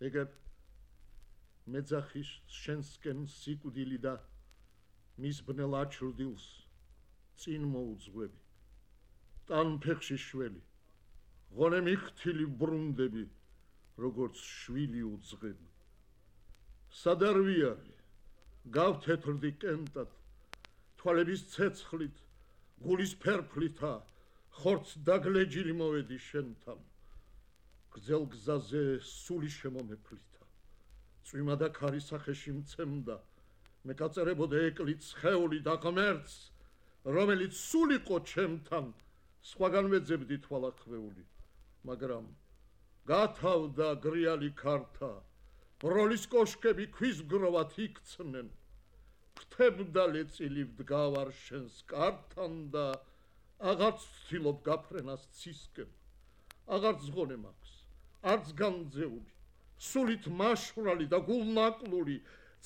ეგებ მეძახის შენსკენ სიკვდილი და მის ბნელ აჩრდილს წინ მოუძღვები ტანფეხში შველი ღონე მიხთილი ბრუნდები როგორც შვილი უძღები სადარვიარი გავთეთრდი კენტად თვალების ცეცხლით გულის ფერფლითა ხორც დაგლეჯილი მოვედი შენთან გრძელ გზაზე სული შემომეფლითა წვიმა და ქარი სახეში მცემდა მე გაწერებოდა ეკლით სხეული და ღმერთს რომელიც სულიყო ჩემთან სხვაგან ვეძებდი თვალაქვეული მაგრამ გათავდა გრიალი ქართა ბროლის კოშკები ქვის გროვად იქცნენ ფრთებდა ლეწილი ვდგავარ შენს კართან და აღარც ვცდილობ გაფრენას ცისკენ აღარც ზღონე მაქვს არც განძეული სულით მაშვრალი და გულნაკლული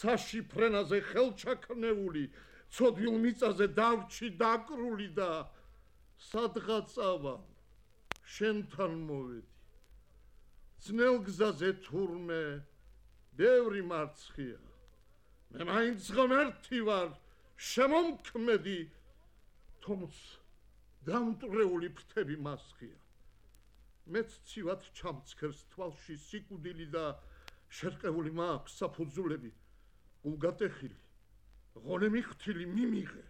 ცაში ფრენაზე ხელჩაქნეული ცოდვილ მიწაზე დავრჩი დაკრული და სადღაცავა შენთან მოვედი ძნელ გზაზე თურმე ბევრი მარცხია მე მაინც ღმერთი ვარ შემომქმედი თუმც დამტრეული ფრთები მასხია მეც ცივად ჩამცქერს თვალში სიკვდილი და შერყეული მაქვს საფუძვლები უგატეხილი ღონე მიხთილი მიმიღე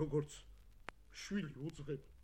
როგორც შვილი უძღები